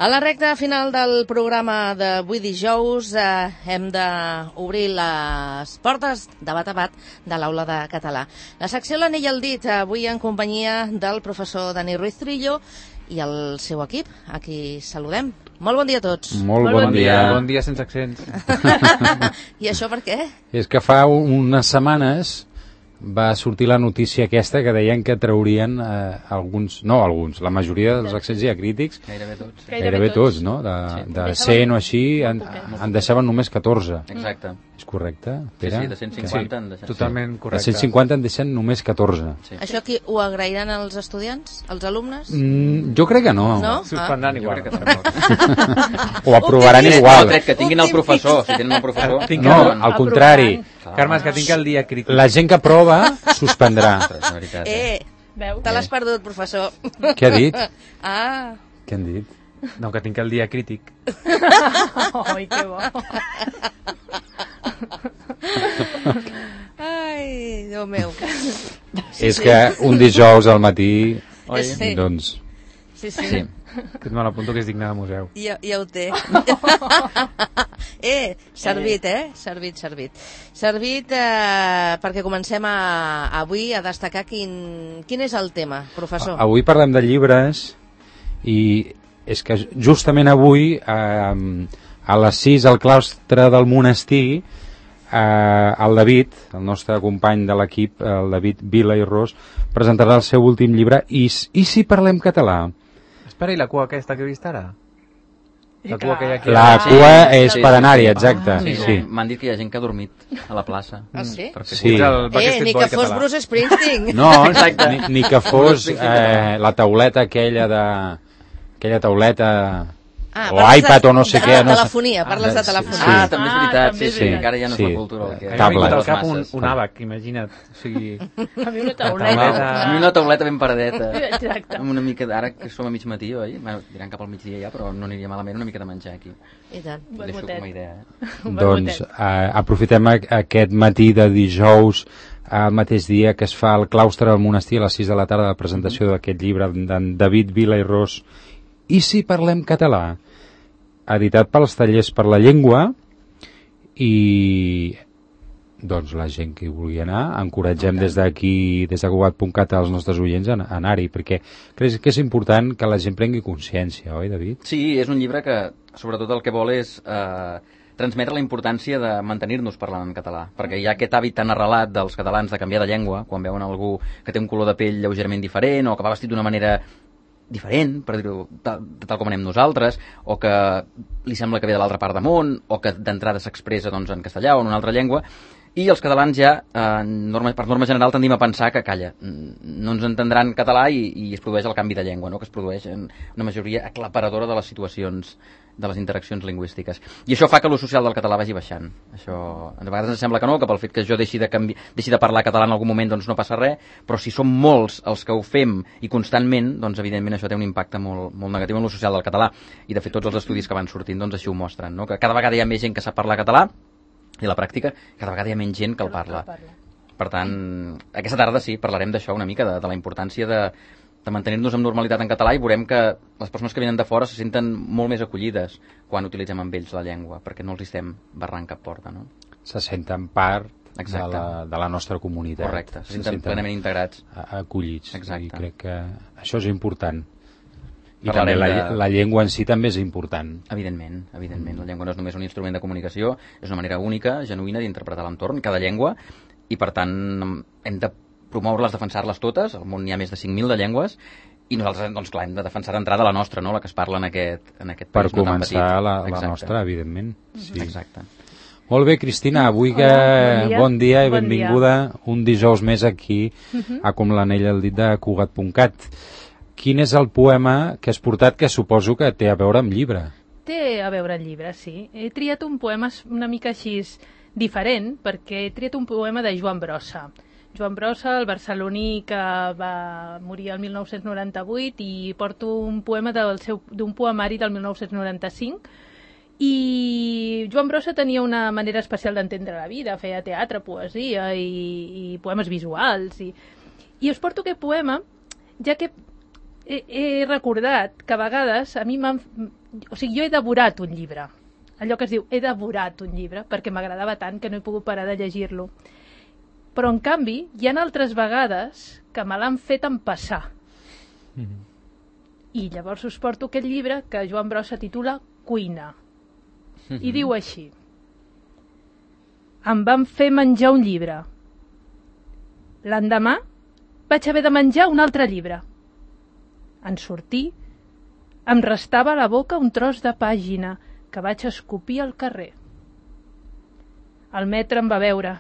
A la recta final del programa d'avui dijous hem d'obrir les portes de bat a bat de l'aula de català. La secció l'anell al dit, avui en companyia del professor Dani Ruiz Trillo i el seu equip, a qui saludem. Molt bon dia a tots. Molt bon dia. Bon dia sense accents. I això per què? És que fa unes setmanes va sortir la notícia aquesta que deien que traurien la majoria dels accents diacrítics, gairebé tots, no? De 100 o així, en deixaven només 14. Exacte. És correcte, Pere? Sí, de 150 en deixen. Totalment correcte. De 150 en deixen només 14. Sí. Això aquí ho agrairan els estudiants, els alumnes? Jo crec que no. No? Suspendran igual. O aprovaran igual. No, que tinguin el professor, si tenen el professor. No, al contrari. Carme, és que tinc el dia crític. La gent que aprova suspendrà. Te l'has perdut, professor. Què ha dit? Què han dit? No, que tinc el dia crític. Ai, que bo. Ai, Déu meu. És que un dijous al matí, doncs... Sí. Que me l'apunto que és digne de museu. Ja ho té. Servit, Servit perquè comencem avui a destacar quin és el tema, professor. Avui parlem de llibres i és que justament avui a les 6 al claustre del monestir el David, el nostre company de l'equip, el David Vila i Ros, presentarà el seu últim llibre I si parlem català? Espera, i la cua aquesta que he vist ara? La cua que hi ha aquí. La cua és per anar-hi, exacte. Sí. M'han dit que hi ha gent que ha dormit a la plaça. Ah, sí? Sí. Ni que fos Bruce Springsteen. No, ni que fos la tauleta aquella o iPad o no sé què. Telefonia, parles de telefonia. També és veritat, sí. Encara ja no és la cultura. M'ha vingut al cap un àbac, imagina't. O sigui... A mi una tauleta. A mi una tauleta ben paradeta. Exacte. Amb una mica ara que som a mig matí, oi? Diran cap al migdia ja, però no aniria malament una mica de menjar aquí. I tant. Deixo com a idea. Doncs aprofitem aquest matí de dijous, el mateix dia que es fa al claustre del monestir a les 6 de la tarda, la presentació d'aquest llibre d'en David Vila i Ros, I si parlem català, editat pels Tallers per la Llengua, i doncs la gent que hi vulgui anar, encoratgem des d'aquí, des de Cugat.cat, als nostres oients a anar-hi, perquè crec que és important que la gent prengui consciència, oi, David? Sí, és un llibre que sobretot el que vol és transmetre la importància de mantenir-nos parlant en català, perquè hi ha aquest hàbit tan arrelat dels catalans de canviar de llengua, quan veuen algú que té un color de pell lleugerament diferent o que va vestit d'una manera diferent, per dir-ho tal com anem nosaltres, o que li sembla que ve de l'altra part del món, o que d'entrada s'expressa doncs, en castellà o en una altra llengua, i els catalans ja, per norma general, tendim a pensar que, calla, no ens entendran català i es produeix el canvi de llengua, no? Que es produeix en una majoria aclaparadora de les situacions, de les interaccions lingüístiques. I això fa que l'ús social del català vagi baixant. Això, a vegades ens sembla que no, que pel fet que jo deixi de parlar català en algun moment doncs no passa res, però si som molts els que ho fem i constantment, doncs evidentment això té un impacte molt, molt negatiu en l'ús social del català. I de fet tots els estudis que van sortint doncs així ho mostren, no? Que cada vegada hi ha més gent que sap parlar català i a la pràctica cada vegada hi ha menys gent que el parla. Per tant, aquesta tarda sí, parlarem d'això una mica, de la importància de mantenir-nos amb normalitat en català, i veurem que les persones que venen de fora se senten molt més acollides quan utilitzem amb ells la llengua, perquè no els estem barrant cap porta, no? Se senten part de la nostra comunitat. Correcte, se senten plenament integrats. Acollits. Exacte. I crec que això és important. I també la llengua en si també és important. Evidentment. La llengua no és només un instrument de comunicació, és una manera única, genuïna d'interpretar l'entorn, cada llengua, i per tant hem de promoure-les, defensar-les totes. Al món hi ha més de 5.000 de llengües, i nosaltres, doncs clar, hem de defensar d'entrada la nostra, no? La que es parla en aquest país. Per començar la nostra, evidentment. Sí. Exacte. Molt bé, Cristina, avui que bon dia i benvinguda un dijous més aquí a Com l'anell al dit de Cugat.cat. Quin és el poema que has portat, que suposo que té a veure amb llibre? Té a veure amb llibre, sí. He triat un poema una mica així diferent, perquè he triat un poema de Joan Brossa. Joan Brossa, el barceloní que va morir el 1998, i porto un poema d'un poemari del 1995. I Joan Brossa tenia una manera especial d'entendre la vida, feia teatre, poesia i poemes visuals. I us porto aquest poema, ja que he recordat que a vegades a mi O sigui, jo he devorat un llibre. Allò que es diu, he devorat un llibre, perquè m'agradava tant que no he pogut parar de llegir-lo. Però, en canvi, hi ha altres vegades que me l'han fet empassar. I llavors us porto aquest llibre que Joan Brossa titula Cuina. I diu així: em van fer menjar un llibre. L'endemà vaig haver de menjar un altre llibre. En sortir, em restava a la boca un tros de pàgina que vaig escopir al carrer. El mestre em va veure.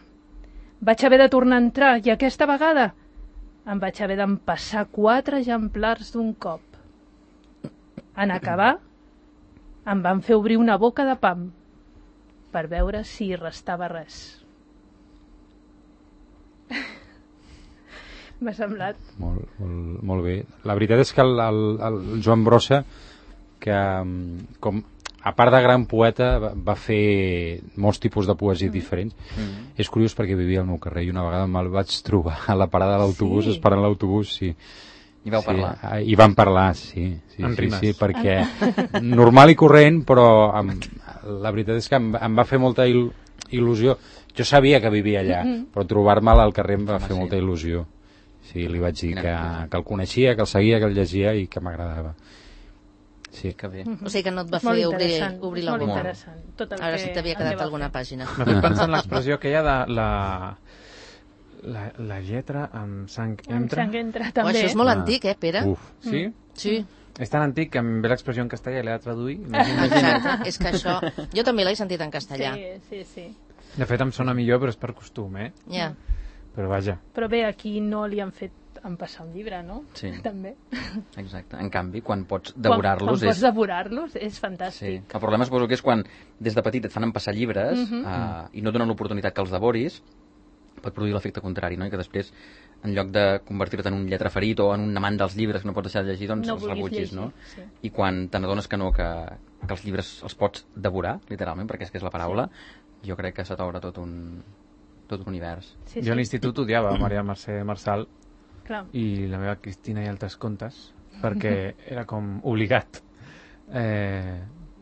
Vaig haver de tornar a entrar i aquesta vegada em vaig haver d'empassar 4 exemplars d'un cop. En acabar, em van fer obrir una boca de pam per veure si hi restava res. M'ha semblat. Molt bé. La veritat és que el Joan Brossa, que com a part de gran poeta va fer molts tipus de poesia diferents. És curiós perquè vivia al meu carrer i una vegada me'l vaig trobar a la parada de l'autobús, esperant l'autobús, sí. I vau parlar? I vam parlar, sí. En rimes. Sí, perquè normal i corrent, però la veritat és que em va fer molta il·lusió. Jo sabia que vivia allà, però trobar-me'l al carrer em va fer molta il·lusió. Sí, li vaig dir que el coneixia, que el seguia, que el llegia i que m'agradava. Sí. Que bé. O sigui que no et va fer obrir la boca. Molt interessant. Tot el A veure que si t'havia em quedat va alguna fer. pàgina. M'ha fet pensar en l'expressió aquella de la lletra amb sang Amb entra. sang entra, Oh, també. això és molt antic, Pere? Uf. Sí? Sí, És tan antic que em ve l'expressió en castellà i l'he de traduir. exacte. És que això... Jo també l'he sentit en castellà. Sí. De fet, em sona millor, però és per costum, Ja. Però vaja. Però bé, aquí no li han fet empassar un llibre, no? Sí. També. Exacte. En canvi, quan pots devorar-los... Quan pots devorar-los és fantàstic. Sí. El problema suposo que és quan des de petit et fan empassar llibres i no donen l'oportunitat que els devoris, pot produir l'efecte contrari, no? I que després, en lloc de convertir-te en un lletraferit o en un amant dels llibres que no pots deixar de llegir, doncs No els vulguis rebutgis, llegir, no? sí. I quan te n'adones que no, que els llibres els pots devorar, literalment, perquè és que és la paraula, jo crec que se t'obre tot un univers. Sí, Jo a l'institut odiava Maria Mercè Marçal Clar. i la meva Cristina i altres contes, perquè era com obligat.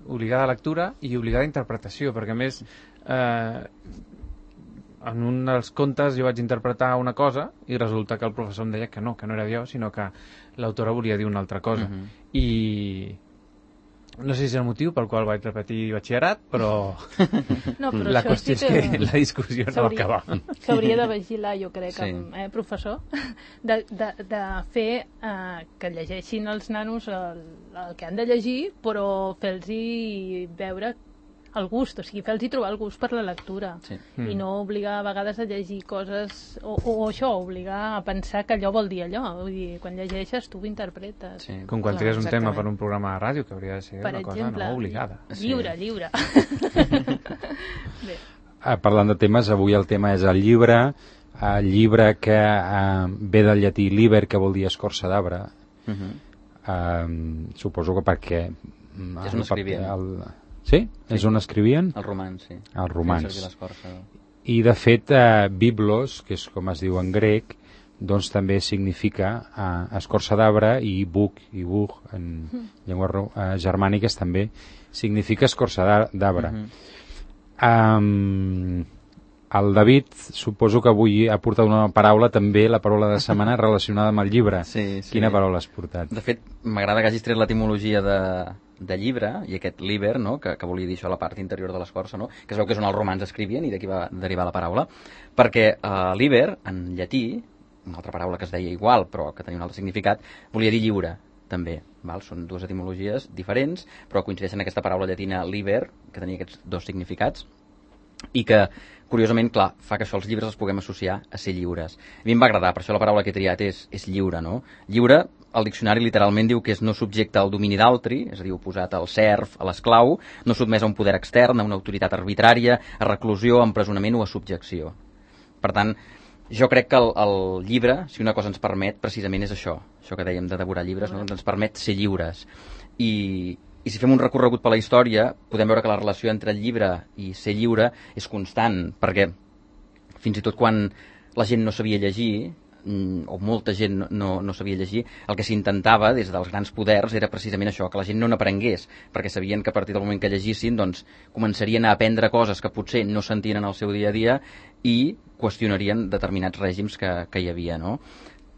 Obligada a lectura i obligada a interpretació, perquè a més en un dels contes jo vaig interpretar una cosa i resulta que el professor em deia que no era jo, sinó que l'autora volia dir una altra cosa. I no sé si és el motiu pel qual vaig repetir batxillerat, però No, però la això qüestió sí és que la discussió no va acabar. S'hauria de vigilar, jo crec, Sí. professor, de fer que llegeixin els nanos el que han de llegir, però fer-los veure el gust, o sigui, fer-los trobar el gust per la lectura. Sí. I no obligar a vegades a llegir coses, o això, obligar a pensar que allò vol dir allò. Vull dir, quan llegeixes tu ho interpretes. Sí. Com quan Clar, tries un tema exactament. per un programa de ràdio, que hauria de ser Per una cosa exemple, no obligada. lliure. Bé. Parlant de temes, avui el tema és el llibre que ve del llatí liber, que vol dir escorça d'arbre. Suposo que perquè... És on escrivien. Sí? És on escrivien? El romans, sí. El romans. Feien servir l'escorça. I de fet biblos, que és com es diu en grec, doncs també significa escorça d'arbre, i buc en llengües germàniques també significa escorça d'arbre. El David suposo que avui ha portat una paraula, també la paraula de setmana relacionada amb el llibre. Sí. Quina paraula has portat? De fet, m'agrada que hagis tret l'etimologia de llibre, i aquest liber, no? que volia dir això, la part interior de l'escorça, no? Que es veu que és on els romans escrivien, i d'aquí va derivar la paraula, perquè liber, en llatí, una altra paraula que es deia igual, però que tenia un altre significat, volia dir lliure, també. Val? Són dues etimologies diferents, però coincideixen en aquesta paraula llatina liber, que tenia aquests dos significats, i que, curiosament, clar, fa que això els llibres els puguem associar a ser lliures. A mi em va agradar, per això la paraula que he triat és lliure, no? Lliure, el diccionari literalment diu que és no subjecte al domini d'altri, és a dir, oposat al serf, a l'esclau, no sotmès a un poder extern, a una autoritat arbitrària, a reclusió, a empresonament o a subjecció. Per tant, jo crec que el llibre, si una cosa ens permet, precisament és això que dèiem de devorar llibres, no? Ens permet ser lliures. I si fem un recorregut per la història, podem veure que la relació entre el llibre i ser lliure és constant, perquè fins i tot quan la gent no sabia llegir, o molta gent no sabia llegir, el que s'intentava des dels grans poders era precisament això, que la gent no n'aprengués, perquè sabien que a partir del moment que llegissin doncs, començarien a aprendre coses que potser no sentien en el seu dia a dia i qüestionarien determinats règims que hi havia, no?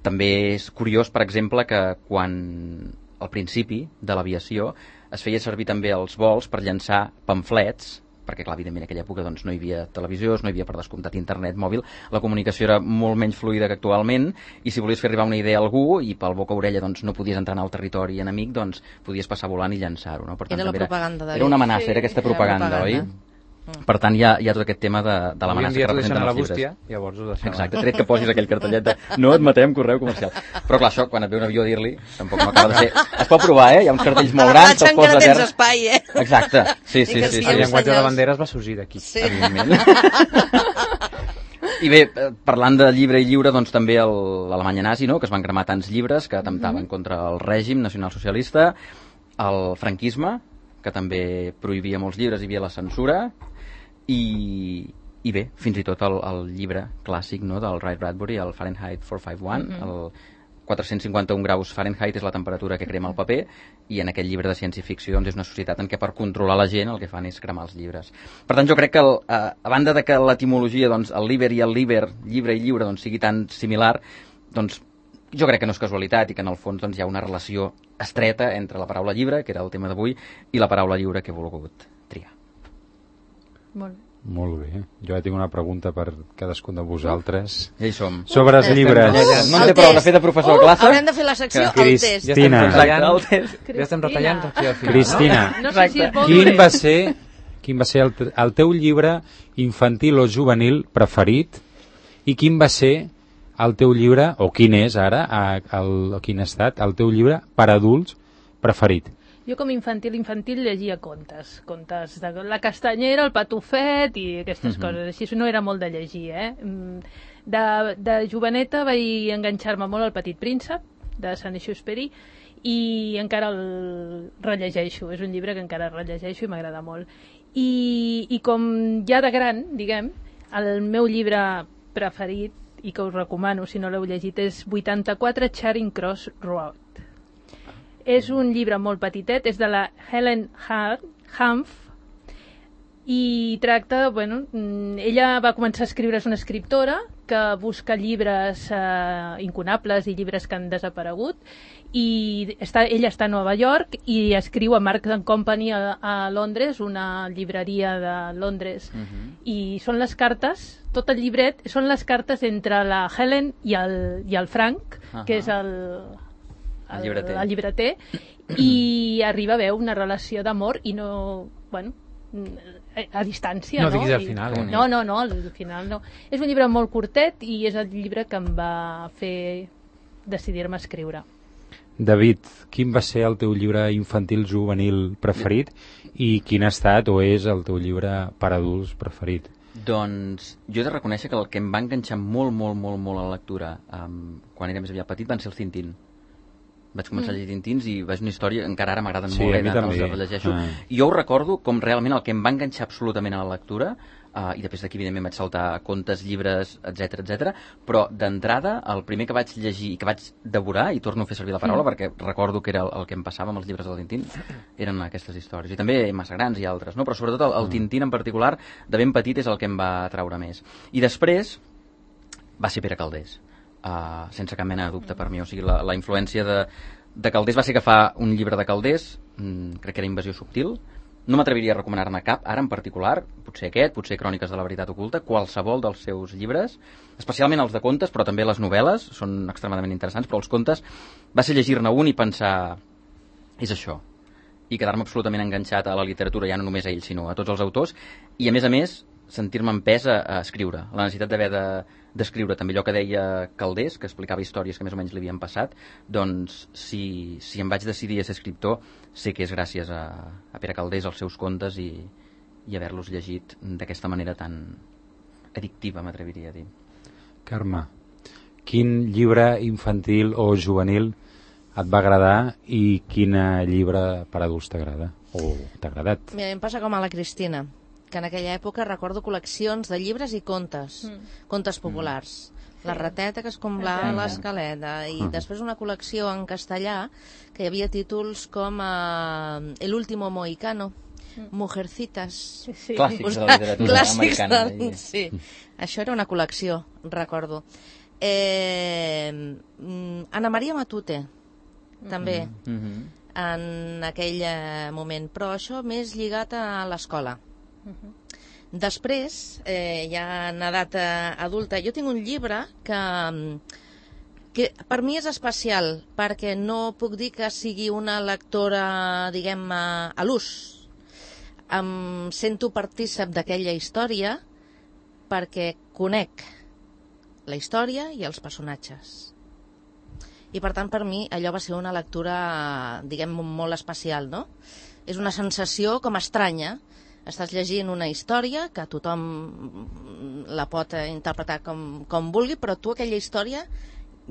També és curiós, per exemple, que quan al principi de l'aviació es feia servir també els vols per llançar pamflets, perquè clar, evidentment en aquella època doncs, no hi havia televisió, no hi havia per descomptat internet mòbil, la comunicació era molt menys fluida que actualment, i si volies fer arribar una idea a algú i pel boca-orella doncs, no podies entrar en el territori enemic, doncs podies passar volant i llançar-ho. No? Per tant, era la propaganda. Era una amenaça, era aquesta propaganda, oi? Per tant, hi ha tot aquest tema de l'amenaça que representen els llibres. Bústia, llavors ho deixem. Exacte, tret que posis aquell cartellet de no admetem correu comercial. Però clar, això, quan et ve un avió a dir-li, tampoc no acaba de ser... Es pot provar, Hi ha uns cartells molt grans, te'ls posa a terra. Tens espai, Exacte, sí. El llenguatge de banderes va sorgir d'aquí. Sí. Evidentment. I bé, parlant de llibre i lliure, doncs també l'Alemanya nazi, no?, que es van cremar tants llibres que atemptaven contra el règim nacionalsocialista, el franquisme, que també prohibia molts llibres, hi havia la censura, i bé, fins i tot el llibre clàssic, no?, del Ray Bradbury, el Fahrenheit 451, el 451 graus Fahrenheit és la temperatura que crema el paper, i en aquest llibre de ciència-ficció doncs, és una societat en què per controlar la gent el que fan és cremar els llibres. Per tant, jo crec que a banda de que l'etimologia, doncs, el liber i el liber, llibre i lliure, doncs, sigui tan similar, doncs jo crec que no és casualitat i que en el fons doncs, hi ha una relació estreta entre la paraula llibre, que era el tema d'avui, i la paraula lliure que he volgut triar. Molt bé. Molt bé. Jo ja tinc una pregunta per cadascun de vosaltres. Ja hi som. Sobre els llibres. No en té prou de fer de professor de classe? Haurem de fer la secció al test. Cristina. Ja estem retallant aquí al final. Cristina, No sé si és bo quin va ser el teu llibre infantil o juvenil preferit i quin va ser el teu llibre, o quin és ara, quin ha estat el teu llibre per adults preferit? Jo com infantil llegia contes de la castanyera, el patufet i aquestes coses, així no era molt de llegir, De joveneta vaig enganxar-me molt al Petit Príncep, de Saint-Exupéry, i encara el rellegeixo, és un llibre que encara rellegeixo i m'agrada molt. I com ja de gran, diguem, el meu llibre preferit, i que us recomano si no l'heu llegit, és 84 Charing Cross Road. És un llibre molt petitet, és de la Helen Hanff, i tracta, ella va començar a escriure, és una escriptora que busca llibres incunables i llibres que han desaparegut, i ella està a Nova York i escriu a Marks & Company a Londres, una llibreria de Londres, i són les cartes, tot el llibret són les cartes entre la Helen i el Frank, que és el llibreter, i arriba a haver una relació d'amor i no, a distància, no diguis al final. No, al final no. És un llibre molt curtet i és el llibre que em va fer decidir-me a escriure. David, quin va ser el teu llibre infantil juvenil preferit i quin ha estat o és el teu llibre per adults preferit? Doncs jo he de reconèixer que el que em va enganxar molt a la lectura quan era més aviat petit van ser els Tintín. Vaig començar a llegir Tintins i veig una història, encara ara m'agraden molt, els rellegeixo. I jo ho recordo com realment el que em va enganxar absolutament a la lectura, i després d'aquí evidentment vaig saltar contes, llibres, etc, però d'entrada el primer que vaig llegir i que vaig devorar, i torno a fer servir la paraula perquè recordo que era el que em passava amb els llibres del Tintín, eren aquestes històries, i també massa grans i altres, no? Però sobretot el Tintín en particular, de ben petit, és el que em va atraure més. I després va ser Pere Calders. Sense cap mena de dubte per mi, o sigui, la influència de Calders va ser agafar un llibre de Calders, crec que era Invasió subtil, no m'atreviria a recomanar-ne cap ara en particular, potser aquest, potser Cròniques de la veritat oculta, qualsevol dels seus llibres, especialment els de contes, però també les novel·les són extremadament interessants, però els contes va ser llegir-ne un i pensar és això, i quedar-me absolutament enganxat a la literatura, ja no només a ell sinó a tots els autors, i a més sentir-me empès a escriure, la necessitat d'haver d'escriure també allò que deia Calders, que explicava històries que més o menys li havien passat, doncs si em vaig decidir a ser escriptor sé que és gràcies a Pere Calders, als seus contes i haver-los llegit d'aquesta manera tan addictiva, m'atreviria a dir. Carme, quin llibre infantil o juvenil et va agradar i quin llibre per adults t'agrada o t'ha agradat? Mira, em passa com a la Cristina. que en aquella època recordo col·leccions de llibres i contes, contes populars. La rateta, que és com l'escaleta, i després una col·lecció en castellà que hi havia títols com El último mohicano, Mujercitas. Sí. Clàssics de la literatura americana. Sí, això era una col·lecció, recordo. Anna Maria Matute, també, en aquell moment, però això més lligat a l'escola. Després, ja en edat adulta, jo tinc un llibre que per mi és especial, perquè no puc dir que sigui una lectora, diguem, a l'ús. Em sento partícip d'aquella història perquè conec la història i els personatges. I per tant, per mi, allò va ser una lectura, diguem, molt especial, no? És una sensació com estranya. Estàs llegint una història que tothom la pot interpretar com vulgui, però tu aquella història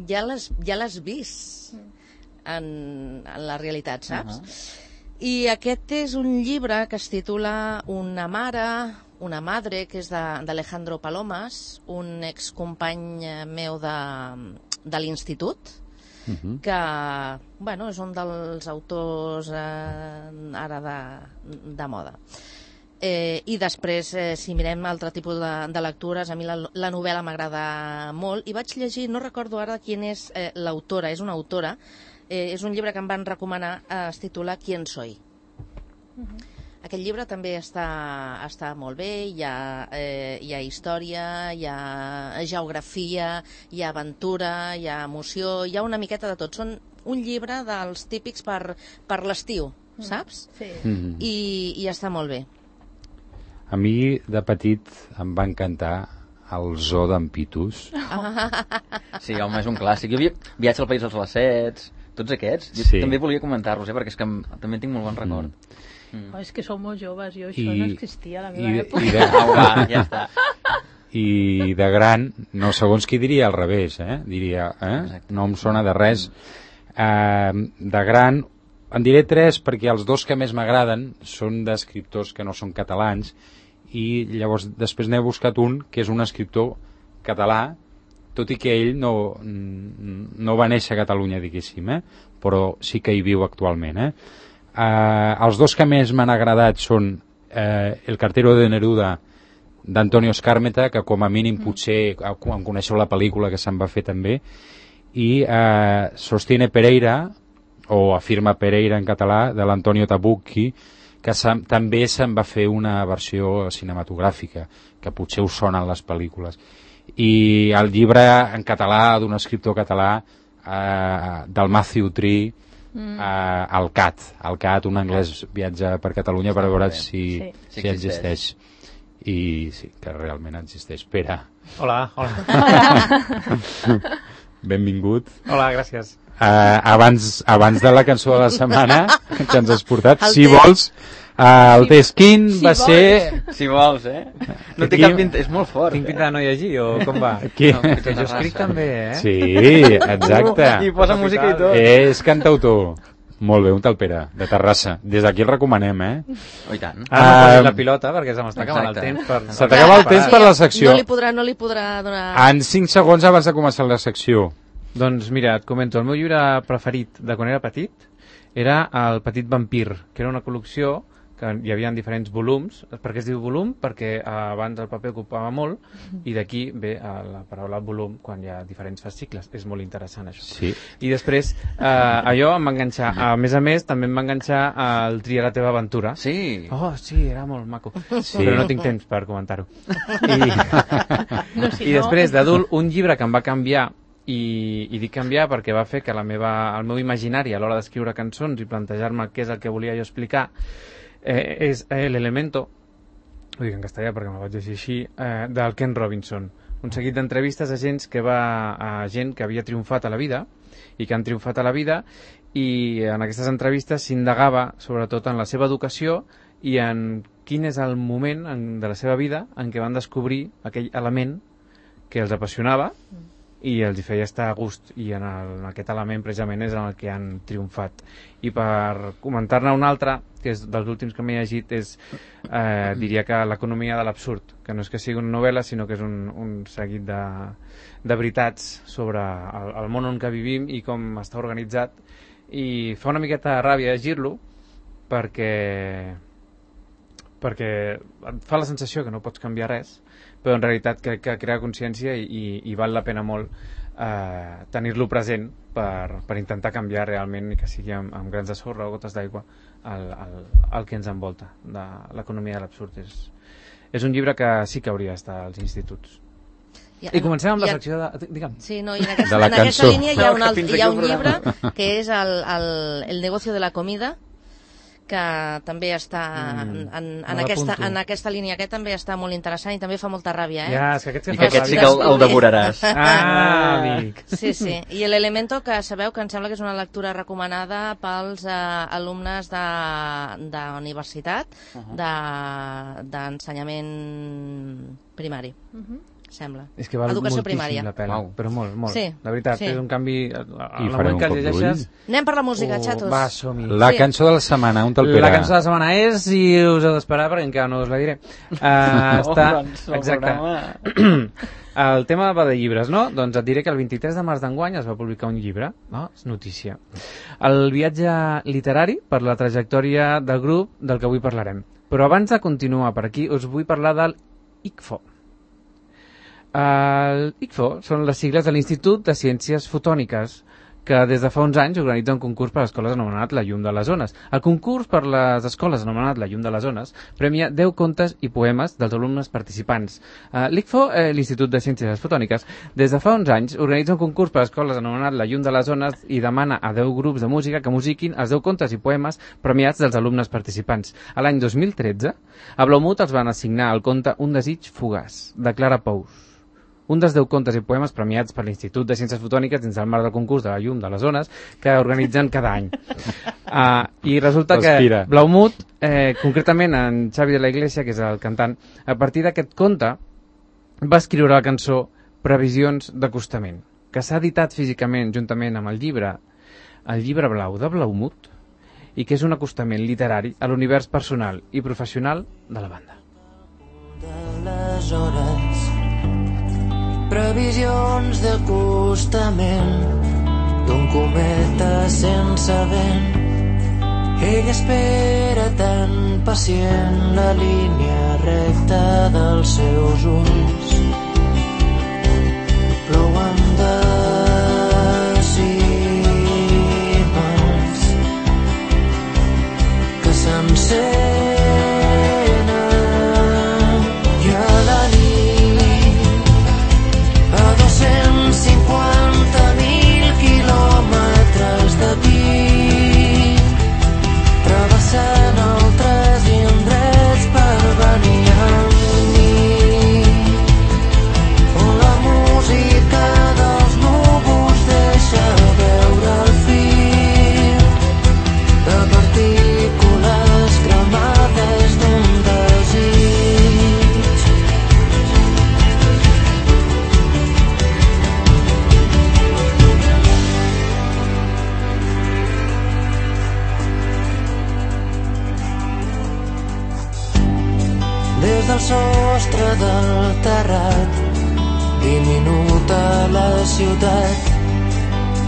ja l'has vist en la realitat, saps? I aquest és un llibre que es titula Una madre, que és d'Alejandro Palomas, un excompany meu de l'institut, que, bueno, és un dels autors ara de moda. I després, si mirem altre tipus de lectures, a mi la novel·la m'agrada molt, i vaig llegir, no recordo ara quina és l'autora, és una autora, és un llibre que em van recomanar, es titula Quién soy. Aquest llibre també està molt bé, hi ha història, hi ha geografia, hi ha aventura, hi ha emoció, hi ha una miqueta de tot. Són un llibre dels típics per l'estiu, saps? Sí. I està molt bé. A mi, de petit, em va encantar el zoo d'en Pitus. Sí, home, és un clàssic. Jo havia Viatge al País dels Lacets, tots aquests. Jo també volia comentar-los, perquè és que també en tinc molt bon record. Oh, és que sou molt joves, jo això no existia a la meva època. Ja està. I de gran, no, segons qui diria al revés, diria, no em sona de res. De gran, en diré 3 perquè els 2 que més m'agraden són d'escriptors que no són catalans, i llavors després n'he buscat un que és un escriptor català, tot i que ell no va néixer a Catalunya, diguéssim, però sí que hi viu actualment. Els 2 que més m'han agradat són El cartero de Neruda, d'Antonio Skármeta, que com a mínim potser em coneixeu la pel·lícula que se'n va fer també, i Sostiene Pereira, o Afirma Pereira en català, de l'Antonio Tabucchi, que també se'n va fer una versió cinematogràfica, que potser us sonen les pel·lícules. I el llibre en català d'un escriptor català, del Matthew Tree, el Cat, un anglès viatja per Catalunya per veure si existeix. I sí, que realment existeix. Pere. Hola. Benvingut. Hola, gràcies. Abans de la cançó de la setmana que ens has portat, si vols, el test quin va ser... Si vols, no té cap pinta, és molt fort. Tinc pinta de no llegir, o com va? Aquí. No, que jo escric també, Sí, exacte. I posa música i tot. És cantautor. Molt bé, un tal Pere, de Terrassa. Des d'aquí el recomanem, Oh, i tant. Ara no posis la pilota perquè se m'està acabant el temps. Se t'acaba el temps per la secció. No li podrà donar... En 5 segons abans de començar la secció. Doncs mira, et comento, el meu llibre preferit de quan era petit era El petit vampir, que era una col·lecció que hi havia diferents volums. Per què es diu volum? Perquè abans el paper ocupava molt, i d'aquí ve la paraula volum quan hi ha diferents fascicles. És molt interessant, això. Sí. I després, allò em va enganxar. A més, també em va enganxar el Tria la teva aventura. Sí. Oh, sí, era molt maco. Sí. Però no tinc temps per comentar-ho. I després, d'adult, un llibre que em va canviar, i dic canviar perquè va fer que el meu imaginari a l'hora d'escriure cançons i plantejar-me què és el que volia jo explicar, és l'Elemento, ho dic en castellà perquè me'l vaig llegir així, del Ken Robinson, un seguit d'entrevistes a gent que havia triomfat a la vida i que han triomfat a la vida, i en aquestes entrevistes s'indagava sobretot en la seva educació i en quin és el moment de la seva vida en què van descobrir aquell element que els apassionava i els hi feia estar a gust, i en aquest element precisament és en el que han triomfat. I per comentar-ne un altre, que és dels últims que m'he llegit, diria que l'economia de l'absurd, que no és que sigui una novel·la, sinó que és un seguit de veritats sobre el món on que vivim i com està organitzat, i fa una miqueta de ràbia llegir-lo perquè et fa la sensació que no pots canviar res, però en realitat crec que crea consciència i val la pena molt tenir-lo present per intentar canviar realment, i que sigui amb grans de sorra o gotes d'aigua el que ens envolta de l'economia de l'absurd. És un llibre que sí que hauria d'estar als instituts. I comencem amb la secció de... Digue'm. Sí, no, i en aquesta línia hi ha un llibre que és El negocio de la comida, que també està en aquesta línia. Aquest també està molt interessant i també fa molta ràbia, Ja, és que aquest I que aquest sí que el devoraràs. Amic. Sí. I l'Elemento, que sabeu que em sembla que és una lectura recomanada pels alumnes d'universitat, d'ensenyament primari. Sembla. És que val Educació moltíssim primària. la pena, però molt. Sí, la veritat, sí. és un canvi... I farem un cop d'ull. Anem per la música, xatos. Va, som-hi. La cançó de la setmana, on te'l Pere? La cançó de la setmana és, i us heu d'esperar perquè encara no us la diré. Exacte. El tema va de llibres, no? Doncs et diré que el 23 de març d'enguany es va publicar un llibre, no? És notícia. El viatge literari per la trajectòria del grup del que avui parlarem. Però abans de continuar per aquí, us vull parlar del ICFO. El ICFO són les sigles de l'Institut de Ciències Fotòniques, que des de fa uns anys organitza un concurs per a escoles anomenat La Llum de les Ones. El concurs per les escoles anomenat La Llum de les Ones premia 10 contes i poemes dels alumnes participants. L'ICFO, l'Institut de Ciències Fotòniques, des de fa uns anys organitza un concurs per a escoles anomenat La Llum de les Ones i demana a 10 grups de música que musiquin els 10 contes i poemes premiats dels alumnes participants. A l'any 2013, a Blaumut els van assignar el conte Un desig fugaç, de Clara Pous. Un dels 10 contes i poemes premiats per l'Institut de Ciències Fotòniques dins el marc del concurs de La Llum de les Ones que organitzen cada any. I resulta que Blaumut, concretament en Xavi de la Iglesia, que és el cantant, a partir d'aquest conte va escriure la cançó Previsions d'acostament, que s'ha editat físicament juntament amb el llibre blau de Blaumut, i que és un acostament literari a l'univers personal i professional de la banda. Previsions d'acostament d'un cometa sense vent. Ell espera tan pacient la línia recta dels seus ulls. Plouen decimals que s'encenen i a la nit a 250.000 quilòmetres d'aquí travessant altres indrets per venir amb mi, on la música dels núvols deixa veure el fil de partícules cremades d'un desig. Des del sostre del terrat, diminuta la ciutat,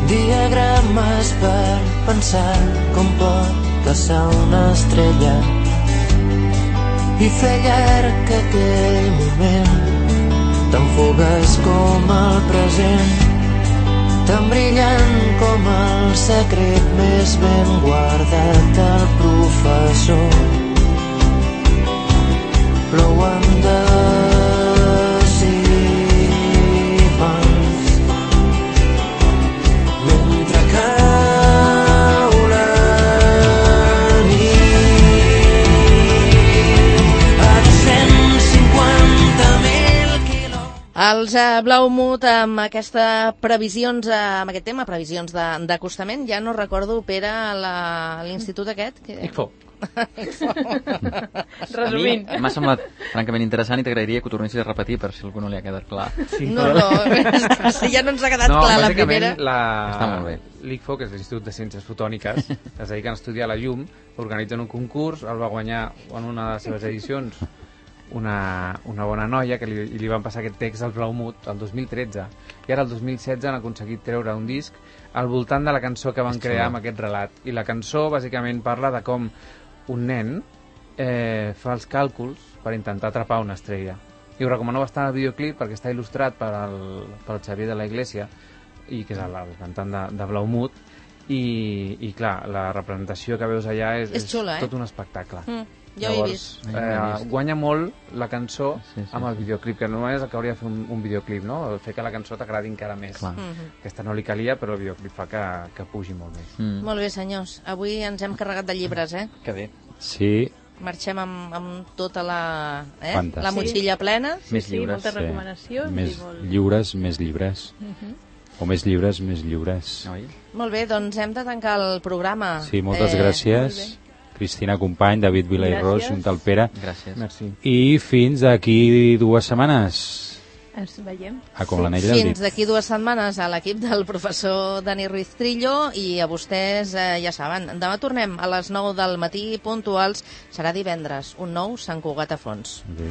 diagrames per pensar com pot passar una estrella i fer llarg aquell moment tan fugaç com el present, tan brillant com el secret més ben guardat del professor. Plouen decimals mentre cau la nit a 250.000 quilòmetres. Els Blaumut amb aquesta previsions, amb aquest tema, previsions d'acostament, ja no recordo, Pere, l'institut aquest. ICFO. Resumint. A mi m'ha semblat francament interessant i t'agrairia que ho tornessis a repetir per si a algú no li ha quedat clar. Sí, No, és que si ja no ens ha quedat clar la primera. Està molt bé. L'ICFO, que és l'Institut de Ciències Fotòniques, es dediquen a estudiar la llum, organitzen un concurs, el va guanyar en una de les seves edicions una bona noia que li van passar aquest text al Blaumut el 2013 i ara el 2016 han aconseguit treure un disc al voltant de la cançó que van crear amb aquest relat, i la cançó bàsicament parla de com un nen fa els càlculs per intentar atrapar una estrella, i us recomano bastant el videoclip perquè està il·lustrat pel Xavier de la Iglesia, i que és el cantant de Blaumut, i clar, la representació que veus allà és xula, tot un espectacle. Jo ho he vist. Guanya molt la cançó Sí. amb el videoclip, que no és el que hauria de fer un videoclip, no? El fer que la cançó t'agradi encara més. Clar. Aquesta no li calia, però el videoclip fa que pugi molt més. Molt bé, senyors. Avui ens hem carregat de llibres, Que bé. Sí, Marxem amb tota la Fantàstic. motxilla plena. Més Sí, lliures. moltes recomanacions. més I molt... lliures, més llibres. O més lliures, més lliures. Oi? Molt bé, doncs hem de tancar el programa. Sí, moltes molt gràcies. Cristina Company, David Vila i Ros, Gràcies. junt al Pere. Gràcies. Merci. I fins d'aquí 2 setmanes. Ens veiem. Com l'anell del Fins dit. d'aquí 2 setmanes a l'equip del professor Dani Ruiz Trillo, i a vostès ja saben, demà tornem a les 9 del matí puntuals, serà divendres, un nou Sant Cugat a fons. Adéu.